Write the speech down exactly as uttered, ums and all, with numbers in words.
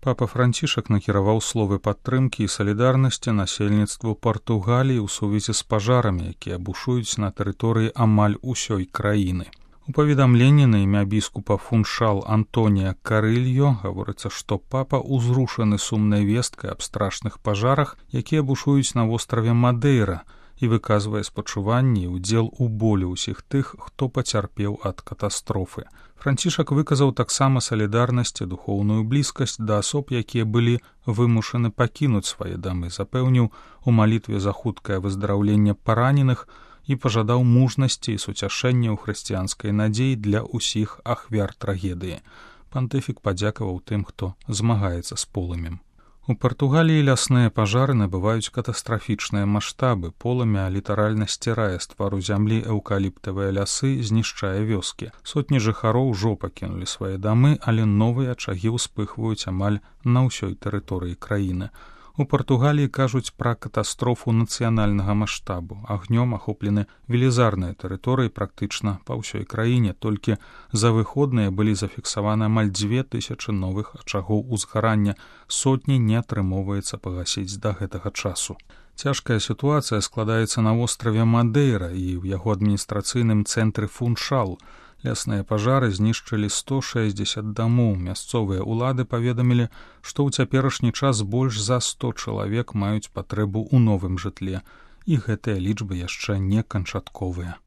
Папа Францішак накіраваў словы падтрымкі і салідарнасці насельніцтву Партугаліі ў сувязі з пажарамі, якія бушуюць на тэрыторыі амаль усёй краіны. У паведамленні на імя біскупа Фуншал Антонія Карыльо гаворыцца, што папа ўзрушаны сумнай весткай аб страшных пажарах, якія бушуюць на востраве Мадэйра, і выказвае спачуванні і ўдзел у болі ўсіх тых, хто пацярпеў ад катастрофы. Францішак выказаў таксама салідарнасць і духоўную блізкасць да асоб, якія былі вымушаны пакінуць свае дамы, запэўніў у малітве за хуткае выздараўленне параненых і пажадаў мужнасці і суцяшэння ў хрысціянскай надзеі для ўсіх ахвяр трагедыі. Пантыфік падзякаваў тым, хто змагаецца з полымем. У Партугаліі лясныя пажары набываюць катастрафічныя маштабы, полымя літаральна сцірае з твару зямлі эўкаліптавыя лясы, знішчае вёскі. Сотні жыхароў ужо пакінулі свае дамы, але новыя ачагі ўспыхваюць амаль на ўсёй тэрыторыі краіны. У Партугаліі кажуць пра катастрофу нацыянальнага маштабу. Агнём ахоплены велізарныя тэрыторыі практычна па ўсёй краіне, толькі за выходныя былі зафіксаваны амаль дзве тысячы новых ачагоў узгарання, сотні не атрымоўваецца пагасіць да гэтага часу. Цяжкая сітуацыя складаецца на востраве Мадэйра і ў яго адміністрацыйным цэнтры Фуншал. Лясныя пажары знішчылі сто шэсцьдзесят дамоў. Мясцовыя ўлады паведамілі, што ў цяперашні час больш за сто чалавек маюць патрэбу ў новым жытле, і гэтыя лічбы яшчэ не канчатковыя.